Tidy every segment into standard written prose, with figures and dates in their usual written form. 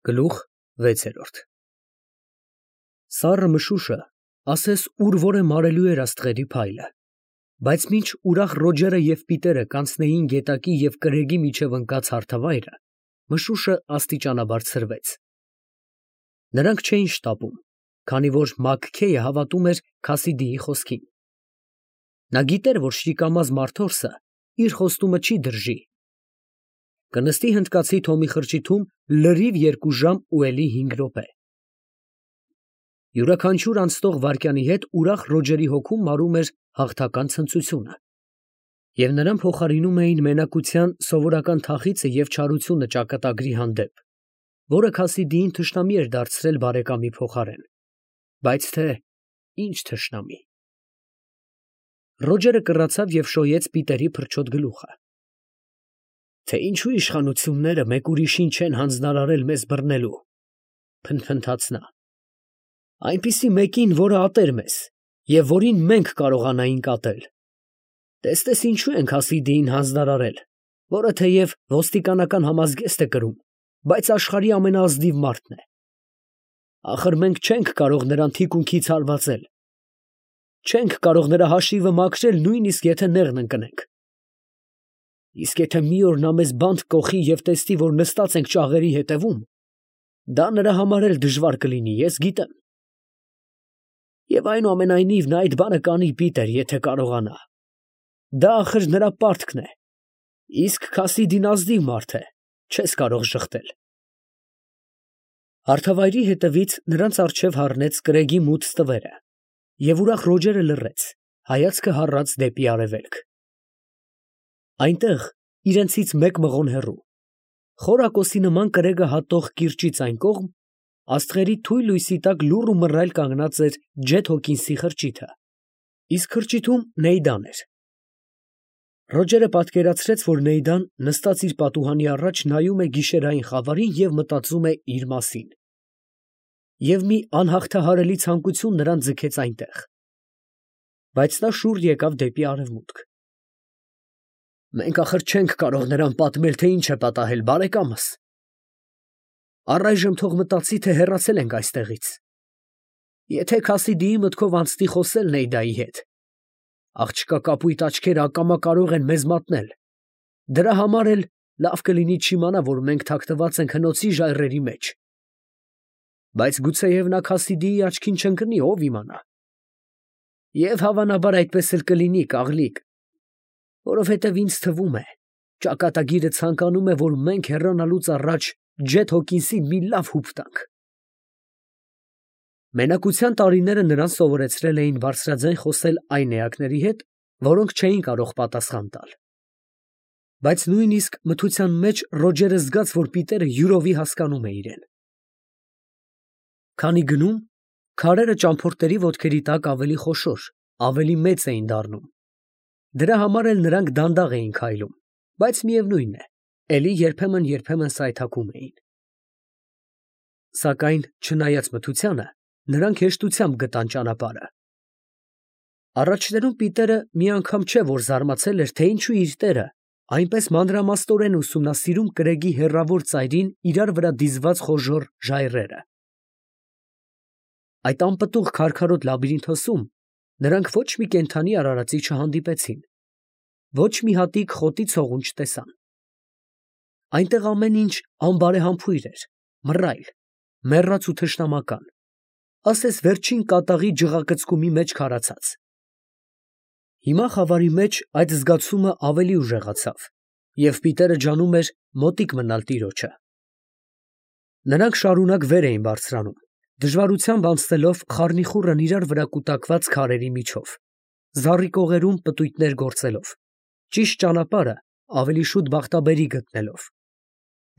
Գլուխ 6 Սառը մշուշը ասես ուր որ է մարելու էր աստղերի փայլը, բայց մինչ ուրախ Ռոջերը և Պիտերը կանցնեին գետակի և կրեգի միջև ընկած հարթավայրը, մշուշը աստիճանաբար ցրվեց. նրանք չէին շտապում, քանի որ Մաքքեյը հավատում էր Քասիդիի խոսքին. նա գիտեր, որ շիկամազ մարդորսը իր խոստումը չի դրժի, կնստի հնդկացի Թոմի խրճիթում լրիվ 2 ժամ ու էլի 5 րոպե։ Յուրաքանչյուր անցնող վայրկյանի հետ ուրախ Ռոջերի հոգում մարում էր հաղթական ցնծությունը, և նրան փոխարինում էին մենակության սովորական թախիծը և չարությունը ճակատագրի հանդեպ, որը Քասիդիին թշնամի էր դարձրել բարեկամի փոխարեն, բայց թե ինչ թշնամի։ Ռոջերը կռացավ և շոյեց Պիտերի փրչոտ գլուխը։ Թե ինչու իշխանությունները մեկ ուրիշին չեն հանձնարարել մեզ բռնելու, փնթփնթաց նա, այնպիսի մեկին, որը ատեր մեզ, և որին մենք կարողանայինք ատել։ Տեսնես ինչու են Քասիդիին հանձնարարել, որը թեև ոստիկանական համազգեստ է կրում, բայց աշխարհի ամենաազնիվ մարդն է։ Ախր մենք չենք կարող նրան թիկունքից հարվածել, չենք կարող նրա հաշիվը մաքրել, նույնիսկ եթե նեղն ընկնենք։ Իսկ եթե մի օր նա մեզ բանտ կոխի և տեսնի, որ նստած ենք ճաղերի հետևում, դա նրա համար էլ դժվար կլինի, ես գիտեմ։ Եվ այնուամենայնիվ նա այդ բանը կանի, Պիտեր, եթե կարողանա։ Դա ախր նրա պարտքն է, իսկ Քասիդին ազնիվ մարդ է, չես կարող ժխտել։ Հարթավայրի հետևից նրանց առջև հառնեց կրեգի մութ ստվերը, և ուրախ Ռոջերը լռեց, հայացքը հառած դեպի արևելք։ Այնտեղ, իրենցից 1 մղոն հեռու, խորակոսի նման կրեգը հատող կիրճից այն կողմ, աստղերի թույլ լույսի տակ լուռ ու մռայլ կանգնած էր Ջեթ Հոքինսի խրճիթը, իսկ խրճիթում Նեյդան էր։ Ռոջերը պատկերացրեց, որ Նեյդան նստած իր պատուհանի առաջ նայում է գիշերային խավարին և մտածում է իր մասին։ Եվ մի անհաղթահարելի ցանկություն նրան ձգեց այնտեղ։ Բայց նա շուռ եկավ դեպի արևմուտք։ Մենք ախր չենք կարող նրան պատմել, թե ինչ է պատահել, բարեկամս։ Առայժմ թող մտածի, թե հեռացել ենք այստեղից։ Եթե Քասիդիի մտքով անցնի խոսել Նեյդայի հետ, աղջկա կապույտ աչքերը ակամա կարող են մեզ մատնել։ Դրա համար էլ լավ կլինի չիմանա, որ մենք թաքնված ենք հնոցի ժայռերի մեջ։ Բայց գուցեև նա Քասիդիի աչքին չընկնի, ով իմանա։ Եվ հավանաբար այդպես էլ կլինի, կաղլիկ, որովհետև ինձ թվում է, ճակատագիրը ցանկանում է, որ մենք հեռանալուց առաջ Ջեթ Հոքինսին մի լավ հուպ տանք։ Մենակության տարիները նրան սովորեցրել էին բարձրաձայն խոսել այն էակների հետ, որոնք չէին կարող պատասխան տալ։ Բայց նույնիսկ մթության մեջ Ռոջերը զգաց, որ Պիտերը յուրովի հասկանում է իրեն։ Քանի գնում, քարերը ճամփորդների ոտքերի տակ ավելի խոշոր, ավելի մեծ էին դառնում։ Դրա համար էլ նրանք դանդաղ էին քայլում, բայց միևնույն է, էլի երբեմն սայթաքում էին։ Սակայն, չնայած մթությանը, նրանք հեշտությամբ գտան ճանապարհը։ Առաջներում Պիտերը մի անգամ չէ, որ զարմացել էր, թե ինչու իր տերը այնպես մանրամասնորեն ուսումնասիրում կրեգի հեռավոր ծայրին իրար վրա դիզված խոժոռ ժայռերը։ Այդ անպտուղ քարքարոտ լաբիրինթոսում նրանք ոչ մի կենդանի արարածի չհանդիպեցին, ոչ մի հատիկ խոտի ցողուն չտեսան։ Այնտեղ ամեն ինչ անբարեհամբույր էր, մռայլ, մեռած ու թշնամական, ասես վերջին կատաղի ջղակծկումի մեջ քարացած։ Հիմա խավարի մեջ այդ զգացումը ավելի ուժեղացավ, և Պիտերը ջանում էր մոտիկ մնալ տիրոջը։ Նրանք շարունակ վեր էին բարձրանում, դժվարությամբ անցնելով խառնիխուռն իրար վրա կուտակված քարերի միջով, զառիկողերում պտույտներ գործելով, ճիշտ ճանապարհը ավելի շուտ բախտաբերի գտնելով,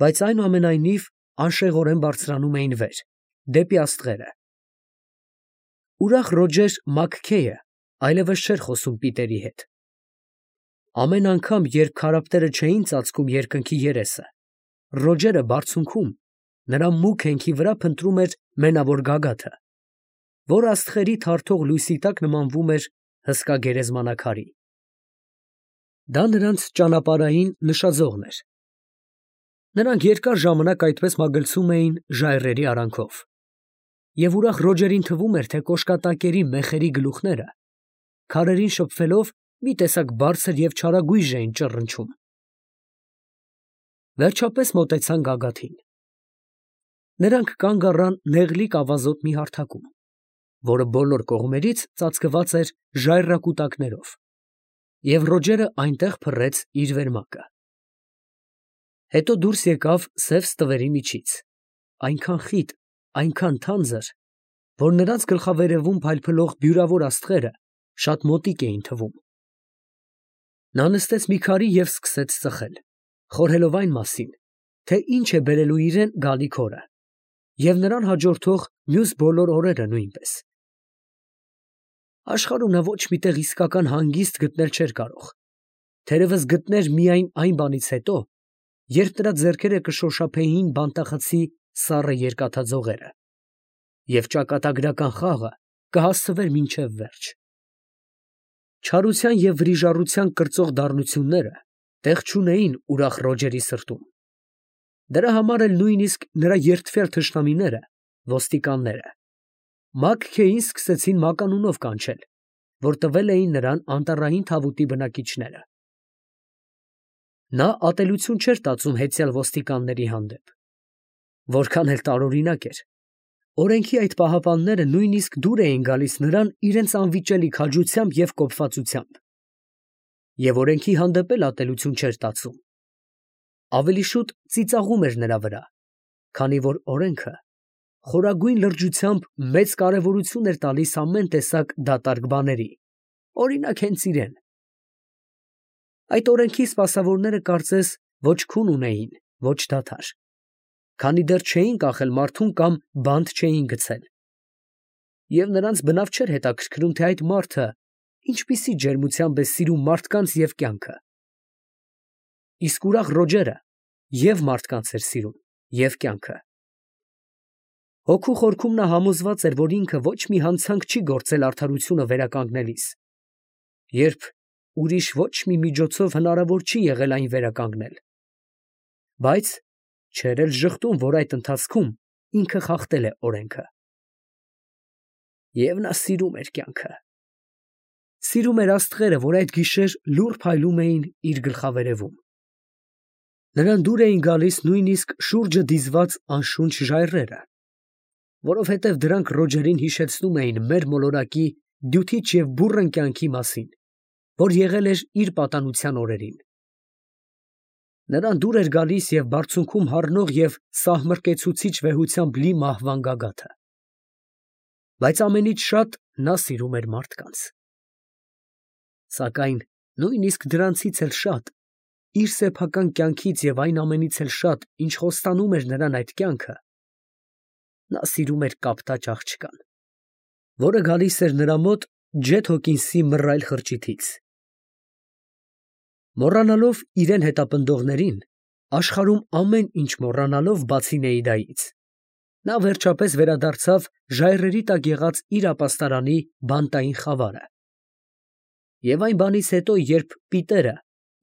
բայց այնուամենայնիվ անշեղորեն բարձրանում էին վեր, դեպի աստղերը։ Ուրախ Ռոջեր Մաքքեյը այլևս չէր խոսում Պիտերի հետ։ Ամեն անգամ, երբ քարափտերը չէին ծածկում երկնքի երեսը, Ռոջերը բարձունքում, նրա մուգ հենքի վրա փնտրում էր մենավոր գագաթը, որ աստղերի թարթող լույսի տակ նմանվում էր հսկա գերեզմանակարի։ Դա նրանց ճանապարհային նշաձողն էր։ Նրանք երկար ժամանակ այդպես մագլցում էին ժայռերի արանքով, և ուրախ Ռոջերին թվում էր, թե կոշկատակերի մեխերի գլուխները, քարերին շփվելով, մի տեսակ բարձր և չարագույժ էին ճռնչում։ Վերջապես մոտեցան գագաթին։ Նրանք կանգ առան նեղլիկ ավազոտ մի հարթակում, որը բոլոր կողմերից ծածկված էր ժայռակուտակներով, և Ռոջերը այնտեղ փռեց իր վերմակը։ Հետո դուրս եկավ սև ստվերի միջից, այնքան խիտ, այնքան թանձր, որ նրանց գլխավերևում փայլփլող բյուրավոր աստղերը շատ մոտիկ էին թվում։ Նա նստեց մի քարի և սկսեց ծխել, խորհելով այն մասին, թե ինչ է բերելու իրեն գալիք օրը, և նրան հաջորդող մյուս բոլոր օրերը նույնպես։ Աշխարհում նա ոչ մի տեղ իսկական հանգիստ գտնել չէր կարող, թերևս գտներ միայն այն բանից հետո, երբ նրա ձեռքերը կշոշափեին բանտախցի սառը երկաթաձողերը, և ճակատագրական խաղը կհասցվեր մինչև վերջ։ Չարության և վրիժառության կրծող դառնությունները տեղ չունեին ուրախ Ռոջերի սրտում։ Դրա համար էլ նույնիսկ նրա երդվյալ թշնամիները, ոստիկանները, Մաքքեյին սկսեցին մականունով կանչել, որ տվել էին նրան անտառային թավուտի բնակիչները։ Նա ատելություն չէր տածում հեծյալ ոստիկանների հանդեպ։ Որքան էլ տարօրինակ էր, օրենքի այդ պահապանները նույնիսկ դուր էին գալիս նրան իրենց անվիճելի քաջությամբ և կոպվածությամբ, և օրենքի հանդեպ էլ ատելություն չէր տածում, ավելի շուտ ծիծաղում էր նրա վրա, քանի որ օրենքը խորագույն լրջությամբ մեծ կարևորություն էր տալիս ամեն տեսակ դատարկ բաների, օրինակ հենց իրեն։ Այդ օրենքի սպասավորները կարծես ոչ քուն ունեին, ոչ դադար, քանի դեռ չէին կախել մարդուն կամ բանտ չէին գցել, և նրանց բնավ չէր հետաքրքրում, թե այդ մարդը ինչպիսի ջերմությամբ է սիրում մարդկանց և կյանքը։ Իսկ ուրախ Ռոջերը և մարդկանց էր սիրում, և կյանքը։ Հոգու խորքում նա համոզված էր, որ ինքը ոչ մի հանցանք չի գործել արդարությունը վերականգնելիս, երբ ուրիշ ոչ մի միջոցով հնարավոր չի եղել այն վերականգնել, բայց չէր էլ ժխտում, որ այդ ընթացքում ինքը խախտել է օրենքը։ Եվ նա սիրում էր կյանքը։ Սիրում էր աստղերը, որ այդ գիշեր լուռ փայլում էին իր գլխավերևում։ Նրան դուր էին գալիս նույնիսկ շուրջը դիզված անշունչ ժայռերը, որովհետև դրանք Ռոջերին հիշեցնում էին մեր մոլորակի դյութիչ և բուռն կյանքի մասին, որ եղել էր իր պատանության օրերին։ Նրան դուր էր գալիս և բարձունքում հառնող և սահմռկեցուցիչ վեհությամբ լի մահվան գագաթը։ Բայց ամենից շատ նա սիրում էր մարդկանց։ Սակայն նույնիսկ դրանցից էլ շատ, իր սեփական կյանքից և այն ամենից էլ շատ, ինչ խոստանում էր նրան այդ կյանքը, նա սիրում էր կապտաճ աղջկան, որը գալիս էր նրա մոտ Ջեթ Հոքինսի մռայլ խրճիթից։ Մոռանալով իրան հետապնդողներին, աշխարհում ամեն ինչ մոռանալով բացի Նեիդայից, նա վերջապես վերադարձավ ժայռերի տակ եղած իր ապաստարանի բանտային խավարը։ Եվ այն բանից հետո, երբ Պիտերը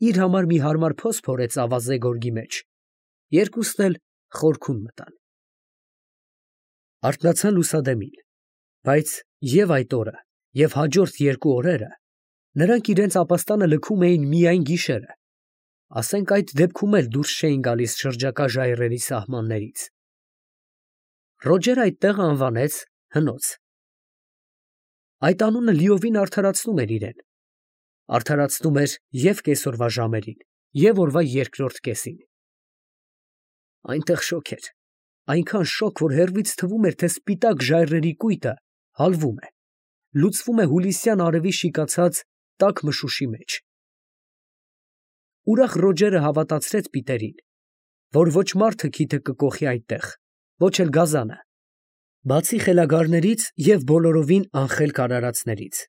իր համար մի հարմար փոս փորեց ավազե գորգի մեջ, երկուսն էլ խորքում մտան։ Արթնացան լուսադեմին, բայց և այդ օրը, և հաջորդ երկու օրերը նրանք իրենց ապաստանը լքում էին միայն գիշերը, ասենք այդ դեպքում էլ դուրս չէին գալիս շրջակա ժայռերի սահմաններից։ Ռոջերը այդ տեղը անվանեց հնոց։ Այդ անունը լիովին արդարացնում էր իրեն, արդարացնում էր և կեսօրվա ժամերին, և օրվա երկրորդ կեսին։ Այնտեղ շոգ էր, այնքան շոգ, որ հեռվից թվում էր, թե սպիտակ ժայռերի կույտը հալվում է, լուծվում է հուլիսյան արևի շիկացած տաք մշուշի մեջ։ Ուրախ Ռոջերը հավատացրեց Պիտերին, որ ոչ մարդը քիթը կկոխի այդտեղ, ոչ էլ գազանը, բացի խելագարներից և բոլորովին անխելք արարածներից։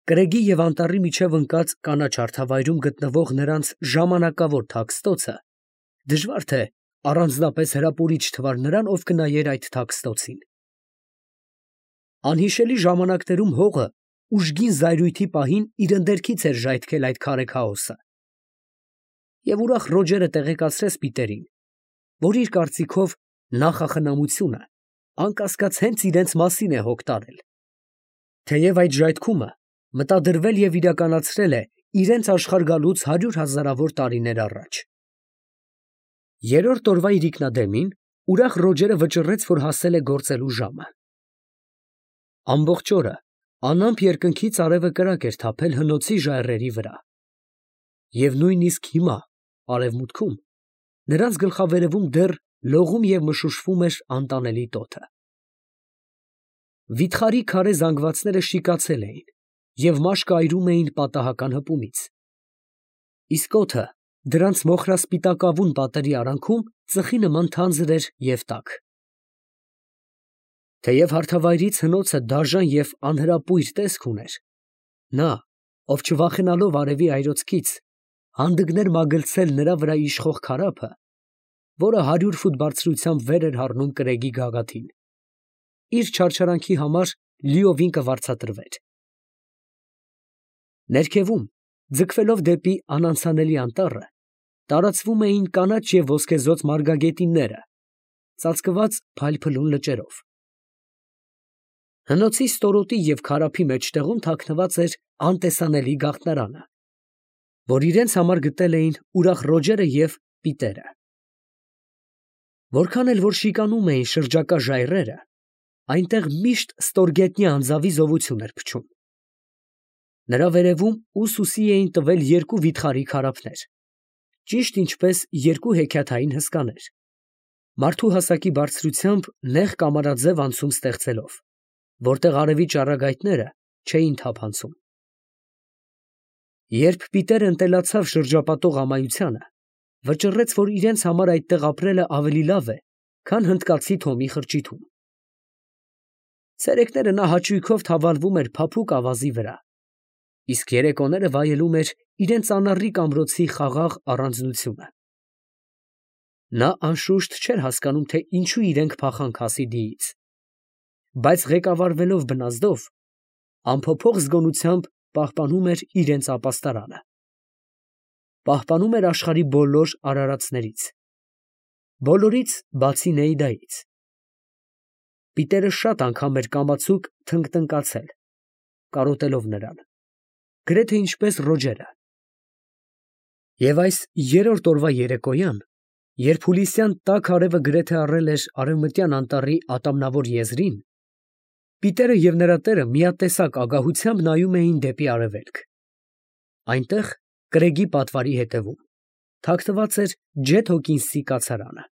Կրեգի և անտառի միջև ընկած կանաչ հարթավայրում գտնվող նրանց ժամանակավոր թաքստոցը դժվար թե առանձնապես հրապուրիչ թվար նրան, ով կնայեր այդ թաքստոցին։ Անհիշելի ժամանակներում հողը ուժգին զայրույթի պահին իր ընդերքից էր ժայթքել այդ քարե քաոսը։ Եվ ուրախ Ռոջերը տեղեկացրեց Պիտերին, որ իր կարծիքով նախախնամությունը անկասկած հենց իրենց մասին է հոգ տարել, թեև այդ ժայթքումը մտադրվել և իրականացրել է իրենց աշխարհ գալուց 100,000-ավոր տարիներ առաջ։ Երրորդ օրվա իրիկնադեմին ուրախ Ռոջերը վճռեց, որ հասել է գործելու ժամը։ Ամբողջ օրը անամպ երկնքից արևը կրակ էր թափել հնոցի ժայռերի վրա, և նույնիսկ հիմա արևմուտքում նրանց գլխավերևում դեռ լողում և մշուշվում էր անտանելի տոթը։ Վիթխարի քարե զանգվածները շիկացել էին և մաշկը այրում էին պատահական հպումից, իսկ օդը դրանց մոխրասպիտակավուն պատերի արանքում ծխի նման թանձր էր և տաք։ Թեև հարթավայրից հնոցը դաժան և անհրապույր տեսք ուներ, նա, ով չվախենալով արևի այրոցքից, հանդգներ մագլցել նրա վրա իշխող քարափը, որը 100 ֆուտ բարձրությամբ վեր էր հառնում կրեգի գագաթին, իր չարչարանքի համար լիովին կվարձատրվեր։ Ներքևում, ձգվելով դեպի անանցանելի անտառը, տարածվում էին կանաչ և ոսկեզօծ մարգագետինները, ծածկված փայլփլուն լճերով։ Հնոցի ստորոտի և քարափի մեջտեղում թաքնված էր անտեսանելի գաղտնարանը, որ իրենց համար գտել էին ուրախ Ռոջերը և Պիտերը։ Որքան էլ որ շիկանում էին շրջակա ժայռերը, այնտեղ միշտ ստորգետնյա անձավի զովություն էր փչում։ Նրա վերևում ուսուսի էին տվել երկու վիթխարի քարափներ, ճիշտ ինչպես երկու հեքիաթային հսկաներ, մարդու հասակի բարձրությամբ նեղ կամարաձև անցում ստեղծելով, որտեղ արևի ճառագայթները չէին թափանցում։ Երբ Պիտերը ընտելացավ շրջապատող ամայությանը, վճռեց, որ իրենց համար այդտեղ ապրելը ավելի լավ է, քան հնդկացի Թոմի խրճիթում։ Ցերեկները նա հաճույքով թավալվում էր փափուկ ավազի վրա, իսկ երեկոները վայելում էր իրենց անառիկ ամրոցի խաղաղ առանձնությունը։ Նա անշուշտ չէր հասկանում, թե ինչու իրենք փախան Քասիդիից, բայց ղեկավարվելով բնազդով, անփոփոխ զգոնությամբ պահպանում էր իրենց ապաստարանը, պահպանում էր աշխարհի բոլոր արարածներից, բոլորից բացի Նեիդայից։ Պիտերը շատ անգամ էր կամացուկ թնկթնկացել, կարոտելով նրան, գրեթե ինչպես Ռոջերը։ Եվ այս երրորդ օրվա երեկոյան, երբ հուլիսյան տաք արևը գրեթե առել էր արևմտյան անտառի ատամնավոր եզրին, Պիտերը և նրա տերը միատեսակ ագահությամբ նայում էին դեպի արևելք։ Այնտեղ, կրեգի պատվարի հետևում, թաքնված էր Ջեթ Հոքինսի կացարանը։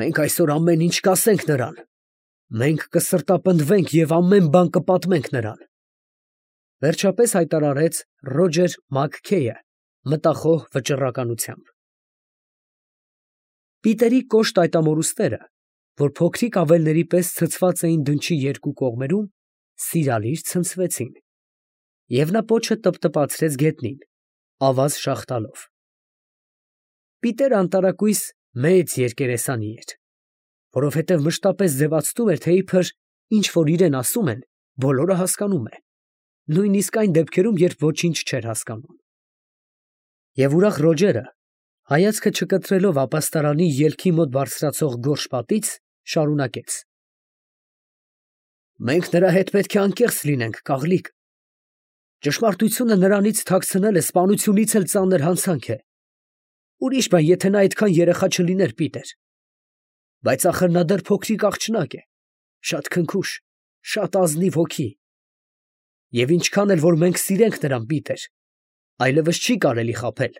«Մենք այսօր ամեն ինչ կասենք նրան, մենք կսրտապնդվենք և ամեն բան կպատմենք նրան», վերջապես հայտարարեց Ռոջեր Մաքքեյը մտախոհ վճռականությամբ։ Պիտերի կոշտ այտամորուստերը, որ փոքրիկ ավելների պես ցցված էին դնչի երկու կողմերում, սիրալիր ցնցվեցին, և նա պոչը տպտպացրեց գետնին, ավազ շաղ տալով։ Պիտերը անտարակույս մեծ երկերեսանի էր, որովհետև մշտապես ձևացնում էր, թե իբր ինչ որ իրեն ասում են, բոլորը հասկանում է, նույնիսկ այն դեպքերում, երբ ոչինչ չէր հասկանում։ Եվ ուրախ Ռոջերը, հայացքը չկտրելով ապաստարանի ելքի մոտ բարձրացող գորշ պատից, շարունակեց. «Մենք նրա հետ պետք է անկեղծ լինենք, Կաղլիկ. ճշմարտությունը նրանից թաքցնելը սպանությունից էլ ծանր հանցանք է։ Ուրիշ բան, եթե նա այդքան երեխա չլիներ, Պիտեր, բայց ախր նա դեռ փոքրիկ աղջնակ է, շատ քնքուշ, շատ ազնիվ հոգի, և ինչքան էլ որ մենք սիրենք նրան, Պիտեր, այլևս չի կարելի խաբել։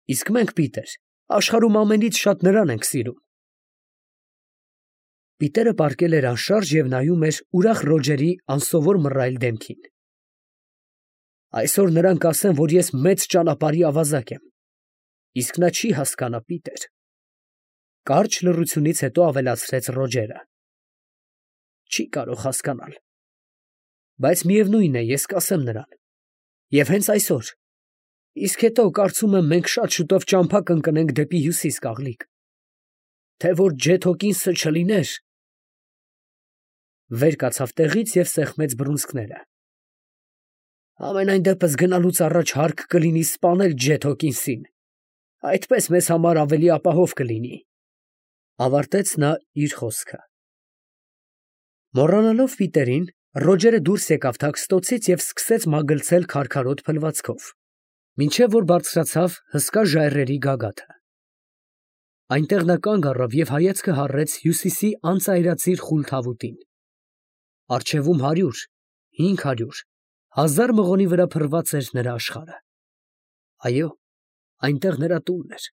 Իսկ մենք, Պիտեր, աշխարհում ամենից շատ նրան ենք սիրում»։ Պիտերը պառկել էր անշարժ և նայում էր ուրախ Ռոջերի անսովոր մռայլ դեմքին։ «Այսօր նրան կասեմ, որ ես մեծ ճանապարհի ավազակ եմ, իսկ նա չի հասկանա, Պիտեր», կարճ լռությունից հետո ավելացրեց Ռոջերը։ «Չի կարող հասկանալ, բայց միևնույն է, ես կասեմ նրան, և հենց այսօր, իսկ հետո, կարծում եմ, մենք շատ շուտով ճամփա կընկնենք դեպի հյուսիս, Կաղլիկ, թե որ Ջեթ Հոքինսը չլիներ…» Վեր կացավ տեղից և սեղմեց բռունցքները։ Ամենայն դեպս գնալուց առաջ հարկ կլինի սպանել Ջեթ Հոքինսին. այդպես մեզ համար ավելի ապահով կլինի, ավարտեց նա իր խոսքը։ Մոռանալով Պիտերին, Ռոջերը դուրս եկավ թաքստոցից և սկսեց մագլցել քարքարոտ փլվածքով, մինչև որ բարձրացավ հսկա ժայռերի գագաթը։ Այնտեղ նա կանգ առավ և հայացքը հառեց հյուսիսի անծայրածիր խուլ թավուտին։ Առջևում 100, 500, 1000 մղոնի վրա փռված էր նրա աշխարհը։ Այո, այնտեղ նրա տունն էր։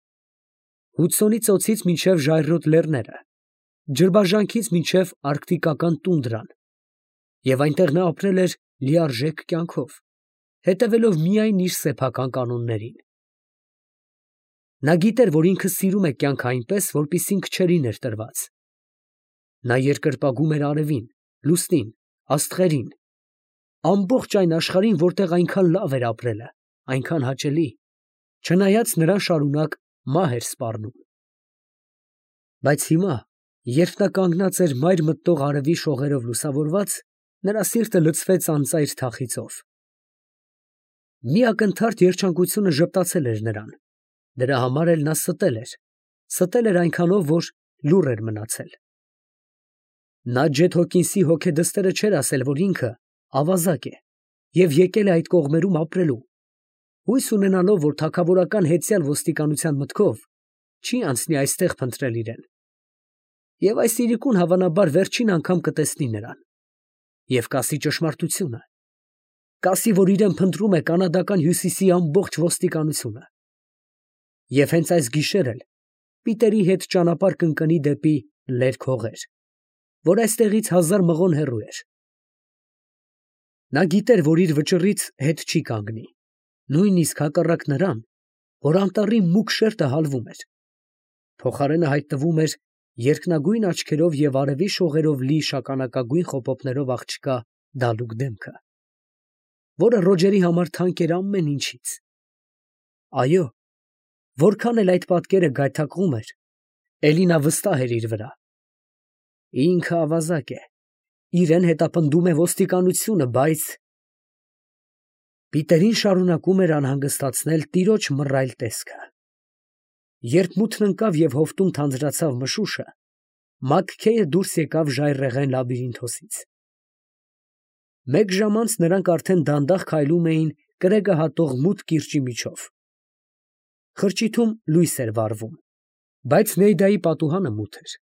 Հուդսոնի ծոցից մինչև ժայռոտ լեռները, ջրբաժանքից մինչև արկտիկական տունդրան, և այնտեղ նա ապրել էր լիարժեք կյանքով, հետևելով միայն իր սեփական կանոններին։ Նա գիտեր, որ ինքը սիրում է կյանքը այնպես, որպեսզի քչերին էր տրված։ Նա երկրպագում էր արևին, լուսնին, աստղերին, ամբողջ այն աշխարհին, որտեղ այնքան լավ էր ապրելը, այնքան հաճելի, չնայած նրան շարունակ մահ էր սպառնում։ Բայց հիմա, երբ նա կանգնած էր մայր մտնող արևի շողերով լուսավորված, նրա սիրտը լցվեց անծայր թախիծով։ Մի ակնթարթ երջանկությունը ժպտացել էր նրան, դրա համար էլ նա ստել էր այնքանով, որ լուռ էր մնացել։ Նա Ջեթ Հոքինսի հոգեդստերը չէր ասել, որ ինքը ավազակ է և եկել է այդ կողմերում ապրելու, հույս ունենալով, որ թագավորական հետյալ ոստիկանության մտքով չի անցնի այստեղ փնտրել իրեն։ Եվ այս իրիկուն հավանաբար վերջին անգամ կտեսնի նրան, և կասի ճշմարտությունը, կասի, որ իրեն փնտրում է կանադական հյուսիսի ամբողջ ոստիկանությունը։ Եվ հենց այս գիշեր էլ Պիտերի հետ ճանապարհ կընկնի դեպի լերկ հողեր, որ այստեղից 1000 մղոն հեռու էր։ Նա գիտեր, որ իր վճռից հետ չի կանգնի, նույնիսկ հակառակ նրան, որ անտառի մուգ շերտը հալվում էր, փոխարենը հայտնվում էր երկնագույն աչքերով և արևի շողերով լի շագանակագույն խոպոպներով աղջկա դալուկ դեմքը, որը Ռոջերի համար թանկ էր ամեն ինչից։ Այո, որքան էլ այդ պատկերը գայթակղում էր, էլի նա վստահ էր իր վրա։ Ինքը ավազակ է, իրեն հետապնդում է ոստիկանությունը, բայց… Պիտերին շարունակում էր անհանգստացնել տիրոջ մռայլ տեսքը։ Երբ մութն ընկավ և հովտում թանձրացավ մշուշը, Մաքքեյը դուրս եկավ ժայռերն լաբիրինթոսից։ Մեկ ժամ անց նրանք արդեն դանդաղ քայլում էին կրեկը հատող մութ կիրճի միջով։ Խրճիթում լույս էր վառվում, բայց Նեյդայի պատուհանը մութ էր։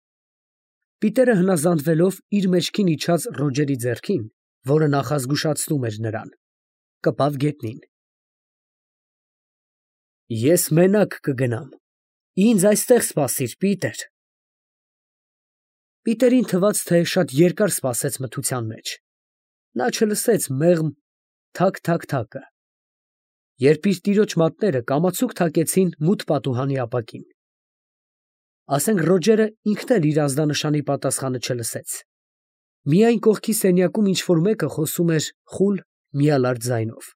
Պիտերը հնազանդվելով իր մեջքին իջած Ռոջերի ձեռքին, որը նախազգուշացնում էր նրան, կպավ գետնին։ Ես մենակ կգնամ, ինձ այստեղ սպասիր, Պիտեր։ Պիտերին թվաց, թե շատ երկար սպասեց մթության մեջ։ Նա չլսեց մեղմ թակ-թակ֊թակը, երբ իր տիրոջ մատները կամացուկ թակեցին մութ պատուհանի ապակին։ Ասենք Ռոջերը ինքն էլ իր ազդանշանի պատասխանը չլսեց։ Միայն կողքի սենյակում ինչ֊որ մեկը խոսում էր խուլ, միալարդ ձայնով։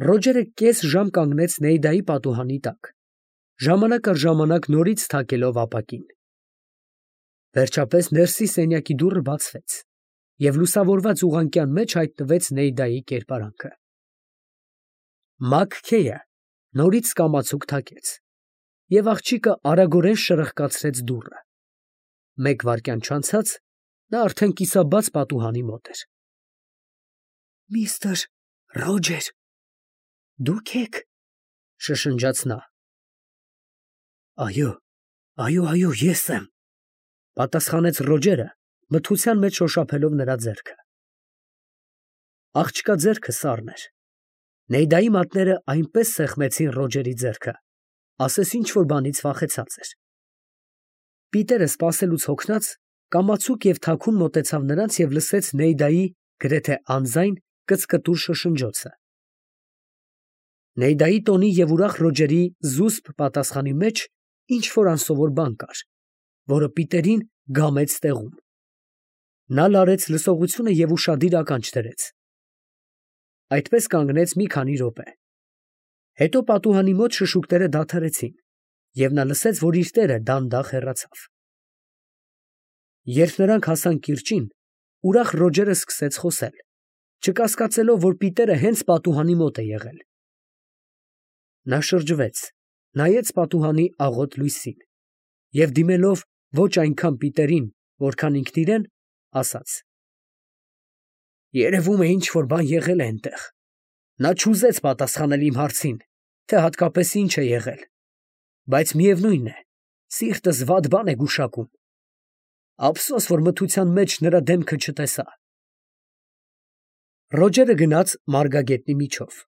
Ռոջերը կես ժամ կանգնեց Նեյդայի պատուհանի տակ, ժամանակ առ ժամանակ նորից թակելով ապակին։ Վերջապես ներսի սենյակի դուռը բացվեց, և լուսավորված ուղղանկյան մեջ հայտնվեց Նեյդայի կերպարանքը։ Մաքքեյը նորից կամացուկ թակեց, և աղջիկը արագորեն շրխկացրեց դուռը։ Մեկ վայրկյան չանցած նա արդեն կիսաբաց պատուհանի մոտ էր։ Միստր Ռոջեր, դուք եք, շշնջաց նա։ Այո, այո, ես եմ, պատասխանեց Ռոջերը, մթության մեջ շոշափելով նրա ձեռքը։ Աղջկա ձեռքը սառն էր։ Նեյդայի մատները այնպես սեղմեցին Ռոջերի ձեռքը, ասես ինչ֊որ բանից վախեցած էր։ Պիտերը սպասելուց հոգնած, կամացուկ և թաքուն մոտեցավ նրանց և լսեց Նեյդայի գրեթե անձայն կծկտուր շշնջոցը։ Նեյդայի տոնի և ուրախ Ռոջերի զուսպ պատասխանի մեջ ինչ֊որ անսովոր բան կար, որը Պիտերին գամեց տեղում։ Նա լարեց լսողությունը և ուշադիր ականջ դրեց։ Այդպես կանգնեց մի քանի րոպե։ Հետո պատուհանի մոտ շշուկները դադարեցին, և նա լսեց, որ իր տերը դանդաղ հեռացավ։ Երբ նրանք հասան կիրճին, ուրախ Ռոջերը սկսեց խոսել, չկասկածելով, որ Պիտերը հենց պատուհանի մոտ է եղել։ Նա շրջվեց, նայեց պատուհանի աղոտ լույսին և դիմելով ոչ այնքան Պիտերին, որքան ինքն իրեն, ասաց. «Երևում է ինչ֊որ բան եղել է այնտեղ։ Նա չուզեց պատասխանել իմ հարցին, թե հատկապես ինչ է եղել, բայց միևնույն է, սիրտս վատ բան է գուշակում։ Ափսոս, որ մթության մեջ նրա դեմքը չտեսա»։ Ռոջերը գնաց մարգագետնի միջով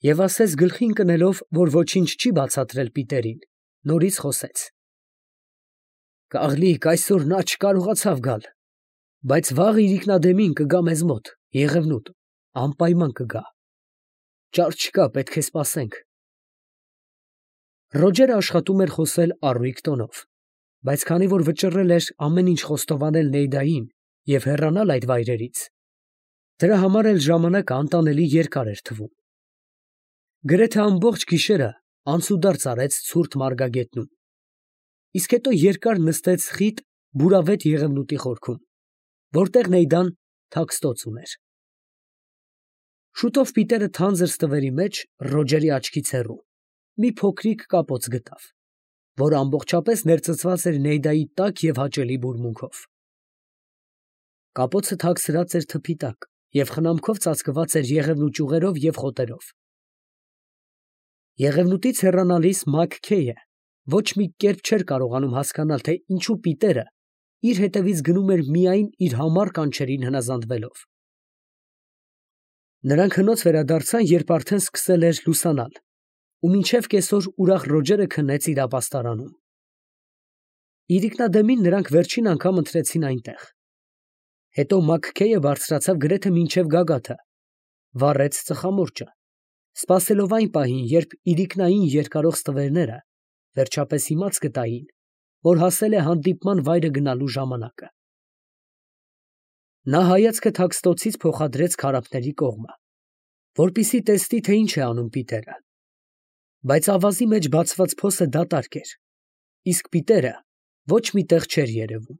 և ասես գլխի ընկնելով, որ ոչինչ չի բացատրել Պիտերին, նորից խոսեց. «Կաղլիկ, այսօր նա չկարողացավ գալ, բայց վաղ իրիկնադեմին կգա մեզ մոտ, Եղևնուտ, անպայման կգա։ Ճար չկա, պետք է սպասենք»։ Ռոջերը աշխատում էր խոսել առույգ տոնով, բայց քանի որ վճռել էր ամեն ինչ խոստովանել Նեյդային և հեռանալ այդ վայրերից, դրա համար էլ ժամանակը անտանելի երկար էր թվում։ Գրեթե ամբողջ գիշերը անցուդարձ արեց ցուրտ մարգագետնում, իսկ հետո երկար նստեց խիտ բուրավետ Եղևնուտի խորքում, որտեղ Նեյդան թաքստոց ուներ։ Շուտով Պիտերը թանձր ստվերի մեջ Ռոջերի աչքից հեռու մի փոքրիկ կապոց գտավ, որը ամբողջապես ներծծված էր Նեյդայի տաք և հաճելի բուրմունքով։ Կապոցը թաքցրած էր թփի տակ և խնամքով ծածկված էր եղևնու ճյուղերով և խոտերով։ Եղևնուտից հեռանալիս Մաքքեյը ոչ մի կերպ չէր կարողանում հասկանալ, թե ինչու Պիտերը իր հետևից գնում էր միայն իր համառ կանչերին հնազանդվելով։ Նրանք հնոց վերադարձան, երբ արդեն սկսել էր լուսանալ, ու մինչև կեսօր ուրախ Ռոջերը քնեց իր ապաստարանում։ Իրիկնադեմին նրանք վերջին անգամ ընթրեցին այնտեղ։ Հետո Մաքքեյը բարձրացավ գրեթե մինչև գագաթը, վառեց ծխամորճը, սպասելով այն պահին, երբ իրիկնային երկարող ստվերները վերջապես իմաց կտային, որ հասել է հանդիպման վայրը գնալու ժամանակը։ Նա հայացքը թաքստոցից փոխադրեց քարափների կողմը, որպեսզի տեսնի, թե ինչ է անում Պիտերը, բայց ավազի մեջ բացված փոսը դատարկ էր, իսկ Պիտերը ոչ մի տեղ չէր երևում։